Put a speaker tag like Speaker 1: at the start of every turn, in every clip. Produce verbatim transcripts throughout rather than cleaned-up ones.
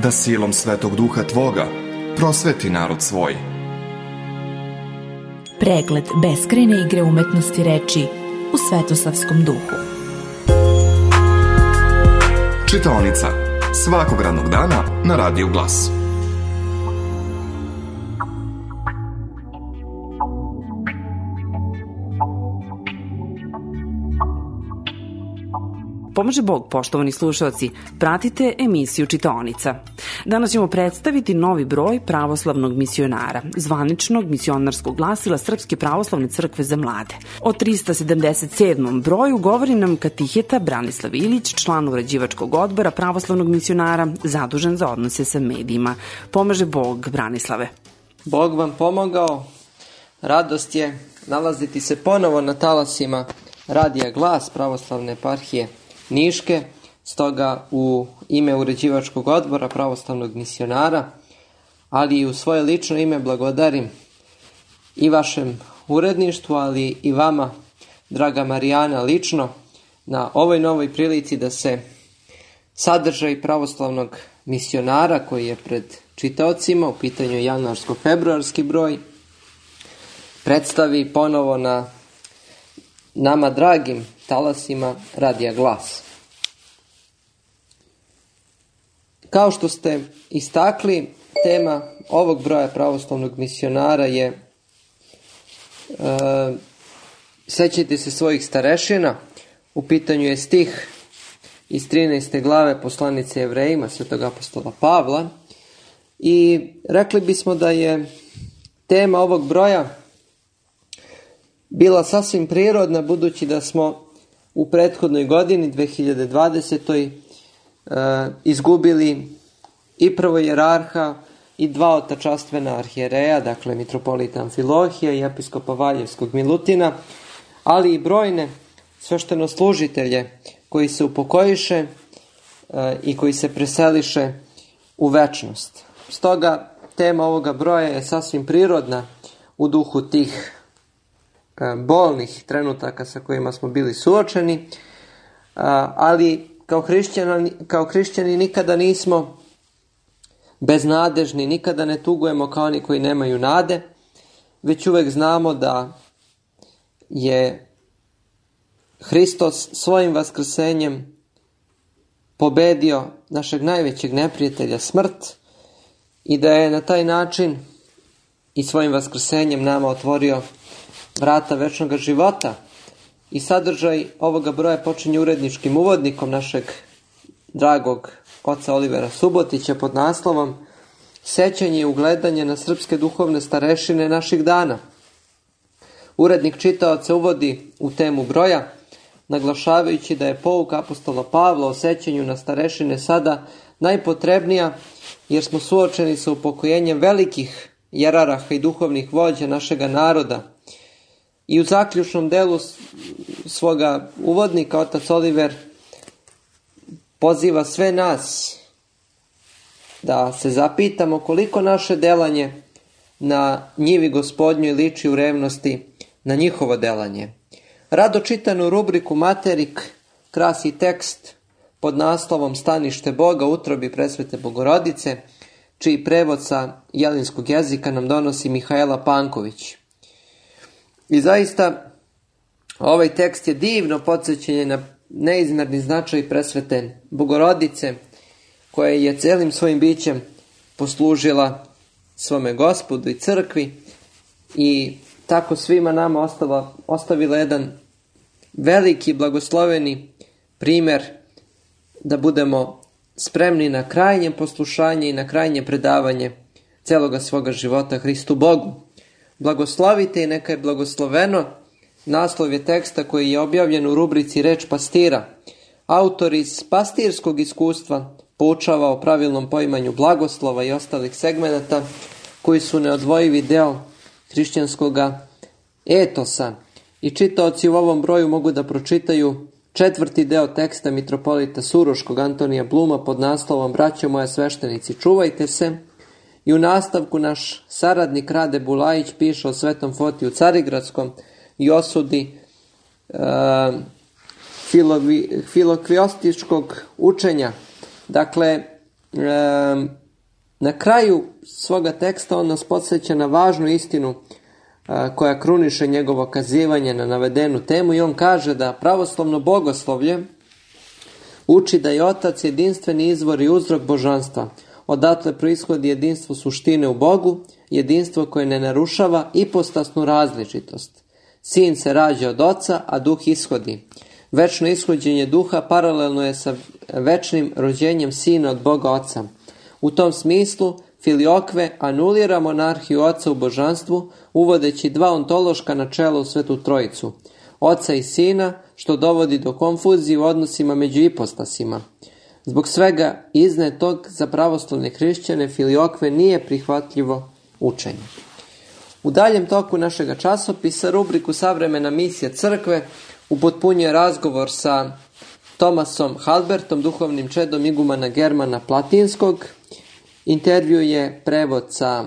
Speaker 1: da silom Svetog Duha Tvoga prosveti narod svoj.
Speaker 2: Pregled beskrajne igre umetnosti reči u Svetosavskom duhu.
Speaker 1: Čitaonica svakog radnog dana na Radiju Glas.
Speaker 3: Pomaže Bog, poštovani slušalci, pratite emisiju Čitaonica. Danas ćemo predstaviti novi broj pravoslavnog misionara, zvaničnog misionarskog glasila Srpske pravoslavne crkve za mlade. O trista sedamdeset sedmom broju govori nam katiheta Branislav Ilić, član uređivačkog odbora pravoslavnog misionara, zadužen za odnose sa medijima. Pomaže Bog, Branislave.
Speaker 4: Bog vam pomogao. Radost je nalaziti se ponovo na talasima Radija Glas pravoslavne eparhije Niške, stoga u ime uređivačkog odbora pravoslavnog misionara, ali i u svoje lično ime blagodarim i vašem uredništvu, ali i vama, draga Marijana, lično na ovoj novoj prilici da se sadržaj pravoslavnog misionara koji je pred čitaocima, u pitanju je januarsko-februarski broj, predstavi ponovo na nama dragim talasima Radija Glas. Kao što ste istakli, tema ovog broja pravoslavnog misionara je e, sećajte se svojih starešina. U pitanju je stih iz trinaeste glave poslanice Jevrejima svetog apostola Pavla i rekli bismo da je tema ovog broja bila sasvim prirodna, budući da smo u prethodnoj godini, dve hiljade dvadesetoj. E, izgubili i prvojerarha i dva otačastvena arhijereja, dakle mitropolita Amfilohija i episkopa Valjevskog Milutina, ali i brojne sveštenoslužitelje koji se upokojiše e, i koji se preseliše u večnost. Stoga tema ovoga broja je sasvim prirodna u duhu tih bolnih trenutaka sa kojima smo bili suočeni, ali kao hrišćani, kao hrišćani nikada nismo beznadežni, nikada ne tugujemo kao oni koji nemaju nade, već uvek znamo da je Hristos svojim vaskrsenjem pobedio našeg najvećeg neprijatelja, smrt, i da je na taj način i svojim vaskrsenjem nama otvorio vrata večnog života. I sadržaj ovoga broja počinje uredničkim uvodnikom našeg dragog oca Olivera Subotića pod naslovom Sećanje i ugledanje na srpske duhovne starešine naših dana. Urednik čitaoca uvodi u temu broja, naglašavajući da je pouka apostola Pavla o sećanju na starešine sada najpotrebnija, jer smo suočeni sa upokojenjem velikih jeraraha i duhovnih vođa našega naroda. I u zaključnom delu svoga uvodnika otac Oliver poziva sve nas da se zapitamo koliko naše delanje na njivi Gospodnjoj liči u revnosti na njihovo delanje. Rado čitanu rubriku Materik krasi tekst pod naslovom Stanište Boga u utrobi presvete Bogorodice, čiji prevod sa jelinskog jezika nam donosi Mihajla Panković. I zaista ovaj tekst je divno podsjećanje na neizmerni značaj presvete Bogorodice, koja je celim svojim bićem poslužila svome Gospodu i crkvi i tako svima nama ostala, ostavila jedan veliki blagosloveni primjer da budemo spremni na krajnje poslušanje i na krajnje predavanje celoga svoga života Hristu Bogu. Blagoslovite i neka je blagosloveno. Naslov je teksta koji je objavljen u rubrici Reč pastira. Autor iz pastirskog iskustva poučava o pravilnom poimanju blagoslova i ostalih segmenata koji su neodvojivi deo hrišćanskog etosa. I čitaoci u ovom broju mogu da pročitaju četvrti deo teksta mitropolita Suroškog Antonija Bluma pod naslovom Braćo moja sveštenici, čuvajte se. I u nastavku naš saradnik Rade Bulajić piše o Svetom Fotiju Carigradskom i osudi e, filokviostičkog učenja. Dakle, na kraju svoga teksta on nas podsjeća na važnu istinu koja kruniše njegovo kazivanje na navedenu temu i on kaže da pravoslavno bogoslovlje uči da je Otac jedinstveni izvor i uzrok božanstva. Odatle proishodi jedinstvo suštine u Bogu, jedinstvo koje ne narušava ipostasnu različitost. Sin se rađa od Oca, a Duh ishodi. Večno ishođenje Duha paralelno je sa večnim rođenjem Sina od Boga Oca. U tom smislu Filiokve anulira monarhiju Oca u božanstvu, uvodeći dva ontološka načela u Svetu Trojicu, Oca i Sina, što dovodi do konfuzije u odnosima među ipostasima. Zbog svega iznetog za pravoslavne hrišćane Filiokve nije prihvatljivo učenje. U daljem toku našega časopisa rubriku Savremena misija crkve upotpunjuje razgovor sa Tomasom Halbertom, duhovnim čedom igumana Germana Platinskog. Intervju je prevod sa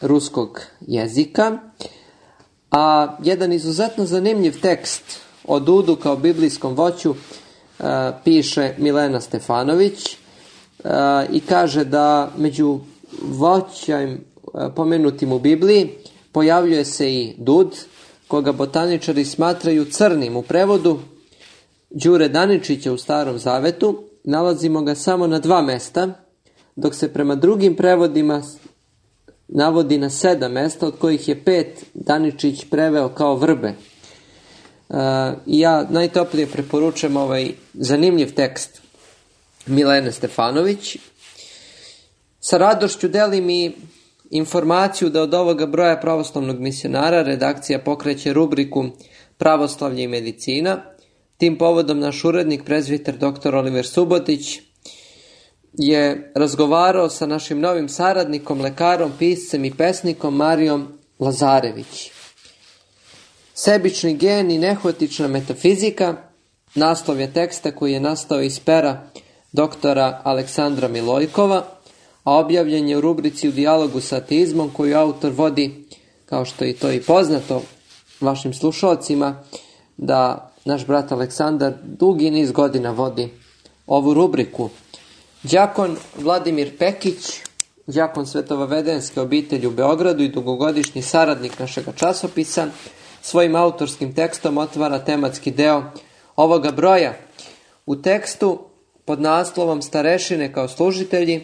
Speaker 4: ruskog jezika, a jedan izuzetno zanimljiv tekst o Dudu kao biblijskom voću uh, piše Milena Stefanović uh, i kaže da među voćem uh, pomenutim u Bibliji pojavljuje se i Dud, koga botaničari smatraju crnim. U prevodu Đure Daničića u Starom Zavetu nalazimo ga samo na dva mesta, dok se prema drugim prevodima navodi na sedam mesta, od kojih je pet Daničić preveo kao vrbe. Uh, ja najtoplije preporučujem ovaj zanimljiv tekst Milene Stefanović. Sa radošću delim i informaciju da od ovoga broja pravoslavnog misionara redakcija pokreće rubriku Pravoslavlje i medicina. Tim povodom naš urednik, prezbiter doktor Oliver Subotić, je razgovarao sa našim novim saradnikom, lekarom, piscem i pesnikom Marijom Lazarević. Sebični gen i nehotična metafizika, naslov je teksta koji je nastao iz pera doktora Aleksandra Milojkova, a objavljen je u rubrici U dijalogu sa ateizmom koju autor vodi, kao što je to i poznato vašim slušalcima, da naš brat Aleksandar dugi niz godina vodi ovu rubriku. Đakon Vladimir Pekić, đakon Svetovavedenske obitelji u Beogradu i dugogodišnji saradnik našega časopisa, svojim autorskim tekstom otvara tematski deo ovoga broja. U tekstu pod naslovom Starešine kao služitelji,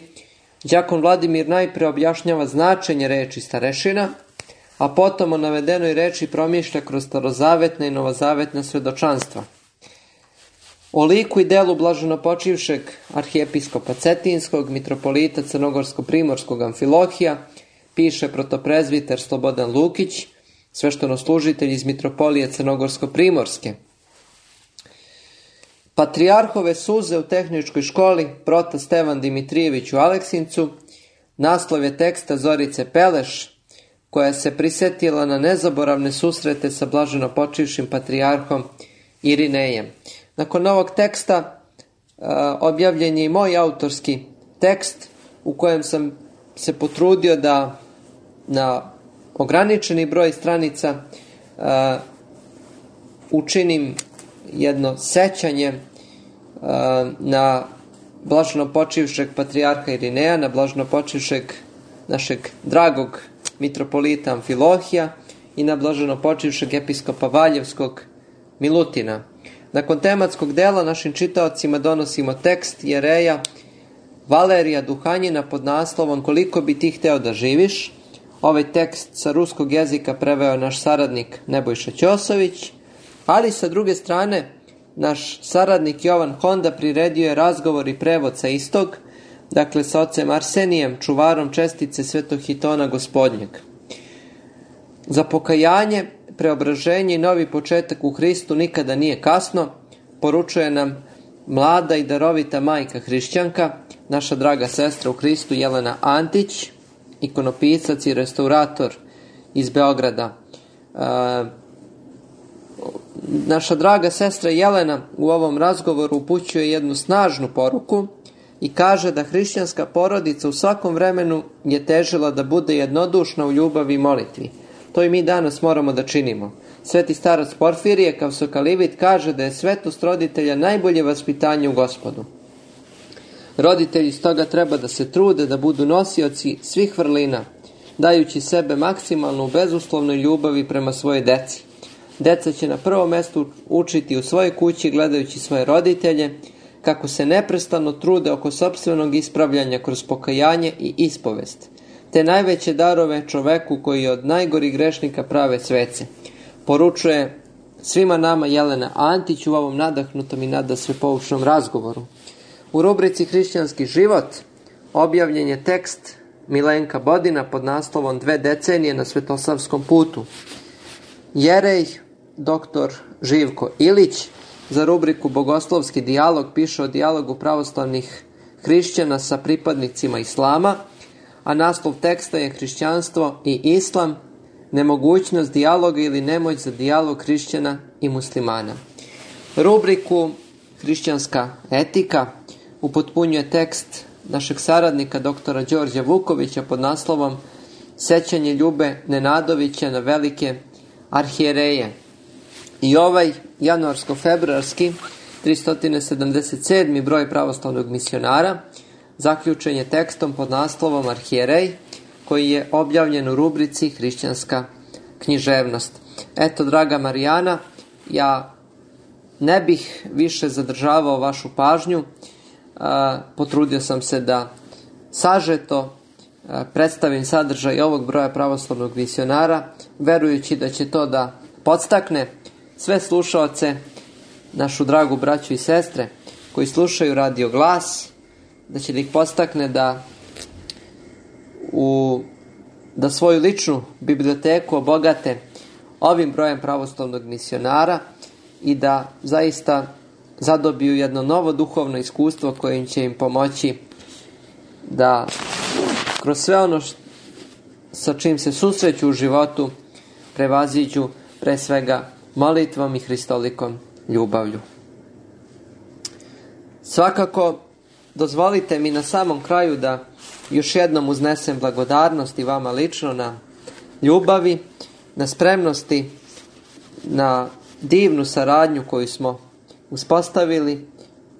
Speaker 4: đakon Vladimir najpre objašnjava značenje reči starešina, a potom o navedenoj reči promišlja kroz starozavetna i novozavetna svedočanstva. O liku i delu blaženopočivšeg arhijepiskopa Cetinskog, mitropolita Crnogorsko-primorskog Amfilohija, piše protoprezbiter Slobodan Lukić, sveštenoslužitelj iz mitropolije Crnogorsko-primorske. Patrijarhove suze u tehničkoj školi, prota Stevan Dimitrijević u Aleksincu, naslov je teksta Zorice Peleš, koja se prisetila na nezaboravne susrete sa blaženopočivšim patrijarhom Irinejem. Nakon ovog teksta uh, objavljen je i moj autorski tekst u kojem sam se potrudio da na ograničeni broj stranica uh, učinim jedno sećanje uh, na blaženopočivšeg patrijarha Irineja, na blaženopočivšeg našeg dragog mitropolita Amfilohija i na blaženopočivšeg episkopa Valjevskog Milutina. Nakon tematskog dela našim čitaocima donosimo tekst Jereja Valerija Duhanjina pod naslovom Koliko bi ti hteo da živiš. Ovaj tekst sa ruskog jezika preveo naš saradnik Nebojša Ćosović, ali sa druge strane naš saradnik Jovan Honda priredio je razgovor i prevod sa istog, dakle sa ocem Arsenijem, čuvarom čestice Svetog Hitona Gospodnjeg. Za pokajanje, preobraženje i novi početak u Hristu nikada nije kasno, poručuje nam mlada i darovita majka hrišćanka, naša draga sestra u Hristu Jelena Antić, ikonopisac i restaurator iz Beograda. E, naša draga sestra Jelena u ovom razgovoru upućuje jednu snažnu poruku i kaže da hrišćanska porodica u svakom vremenu je težila da bude jednodušna u ljubavi i molitvi. To i mi danas moramo da činimo. Sveti starac Porfirije Kavsokalivit kaže da je svetost roditelja najbolje vaspitanje u Gospodu. Roditelji stoga treba da se trude da budu nosioci svih vrlina, dajući sebe maksimalno u bezuslovnoj ljubavi prema svojoj deci. Deca će na prvom mjestu učiti u svojoj kući gledajući svoje roditelje, kako se neprestano trude oko sopstvenog ispravljanja kroz pokajanje i ispovest, te najveće darove čoveku koji od najgorih grešnika prave svece. Poručuje svima nama Jelena Antić u ovom nadahnutom i nadasve poučnom razgovoru. U rubrici Hrišćanski život objavljen je tekst Milenka Bodina pod naslovom Dve decenije na svetosavskom putu. Jerej doktor Živko Ilić za rubriku Bogoslovski dijalog piše o dijalogu pravoslavnih hrišćana sa pripadnicima islama, a naslov teksta je Hrišćanstvo i islam, nemogućnost dijaloga ili nemoć za dijalog hrišćana i muslimana. Rubriku Hrišćanska etika upotpunjuje tekst našeg saradnika doktora Đorđa Vukovića pod naslovom Sećanje Ljube Nenadovića na velike arhijereje. I ovaj januarsko-februarski tristo sedamdeset sedmi broj pravoslavnog misionara zaključen je tekstom pod naslovom Arhijerej, koji je objavljen u rubrici Hrišćanska književnost. Eto, draga Marijana, ja ne bih više zadržavao vašu pažnju. A, potrudio sam se da sažeto a, predstavim sadržaj ovog broja pravoslavnog misionara, verujući da će to da podstakne sve slušaoce, našu dragu braću i sestre koji slušaju Radio Glas, da će da ih podstakne da u da svoju ličnu biblioteku obogate ovim brojem pravoslavnog misionara i da zaista zadobiju jedno novo duhovno iskustvo koje će im pomoći da kroz sve ono š, sa čim se susreću u životu prevaziđu pre svega molitvom i hristolikom ljubavlju. Svakako, dozvolite mi na samom kraju da još jednom uznesem blagodarnost i vama lično na ljubavi, na spremnosti, na divnu saradnju koju smo uspostavili,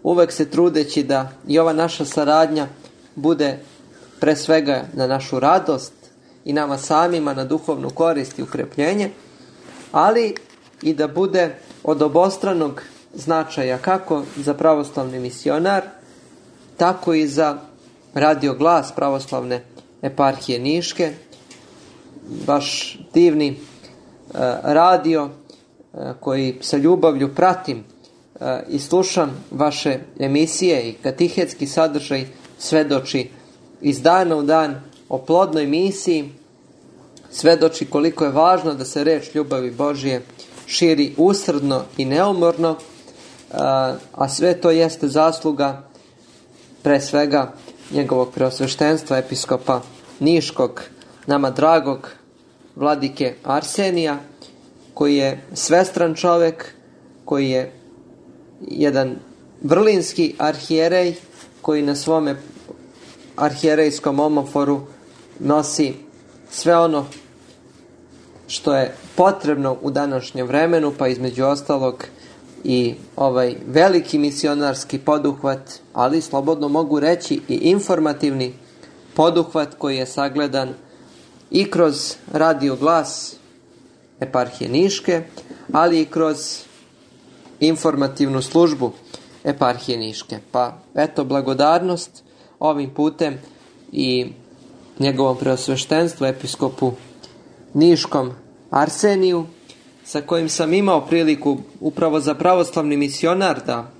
Speaker 4: uvek se trudeći da i ova naša saradnja bude pre svega na našu radost i nama samima na duhovnu korist i ukrepljenje, ali i da bude od obostranog značaja kako za pravoslavni misionar, tako i za Radio Glas pravoslavne eparhije Niške, vaš divni e, radio e, koji sa ljubavlju pratim e, i slušam vaše emisije i katehetski sadržaj svedoči iz dana u dan o plodnoj misiji, svedoči koliko je važno da se reč ljubavi Božije širi usrdno i neumorno, a, a sve to jeste zasluga pre svega njegovog preosveštenstva episkopa Niškog, nama dragog vladike Arsenija, koji je svestran čovjek, koji je jedan vrlinski arhijerej, koji na svome arhijerejskom omoforu nosi sve ono što je potrebno u današnjem vremenu, pa između ostalog i ovaj veliki misionarski poduhvat, ali slobodno mogu reći i informativni poduhvat koji je sagledan i kroz Radio Glas eparhije Niške, ali i kroz informativnu službu eparhije Niške. Pa eto, blagodarnost ovim putem i njegovom preosveštenstvu episkopu Niškom Arseniju, sa kojim sam imao priliku upravo za pravoslavni misionar da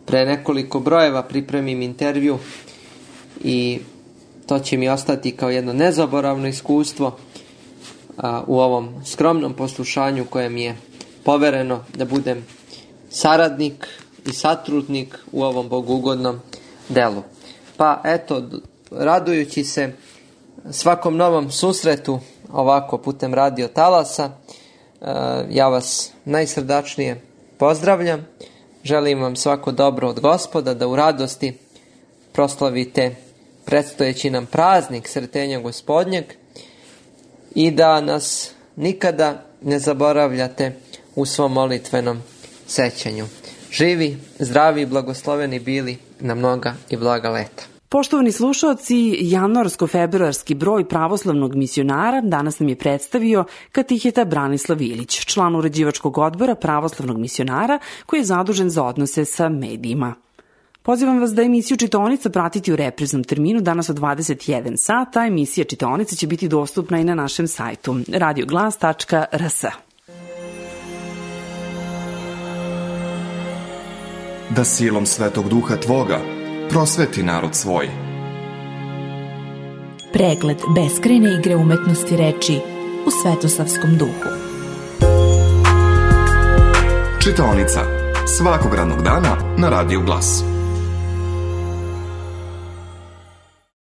Speaker 4: pre nekoliko brojeva pripremim intervju, i to će mi ostati kao jedno nezaboravno iskustvo a, u ovom skromnom poslušanju koje mi je povereno da budem saradnik i satrudnik u ovom bogugodnom delu. Pa eto, radujući se svakom novom susretu ovako putem radio talasa, ja vas najsrdačnije pozdravljam. Želim vam svako dobro od Gospoda, da u radosti proslavite predstojeći nam praznik Sretenja Gospodnjeg i da nas nikada ne zaboravljate u svom molitvenom sećanju. Živi, zdravi i blagosloveni bili na mnoga i blaga leta.
Speaker 3: Poštovani slušaoci, januarsko-februarski broj pravoslavnog misionara danas nam je predstavio katiheta Branislav Ilić, član uređivačkog odbora pravoslavnog misionara koji je zadužen za odnose sa medijima. Pozivam vas da emisiju Čitaonica pratiti u repriznom terminu danas od dvadeset jedan sat, a emisija Čitaonica će biti dostupna i na našem sajtu radio glas tačka r s.
Speaker 1: Da silom Svetog Duha Tvoga prosveti narod svoj.
Speaker 2: Pregled beskrajne igre umetnosti reči u svetosavskom duhu.
Speaker 1: Čitaonica svakog radnog dana na Radio Glas.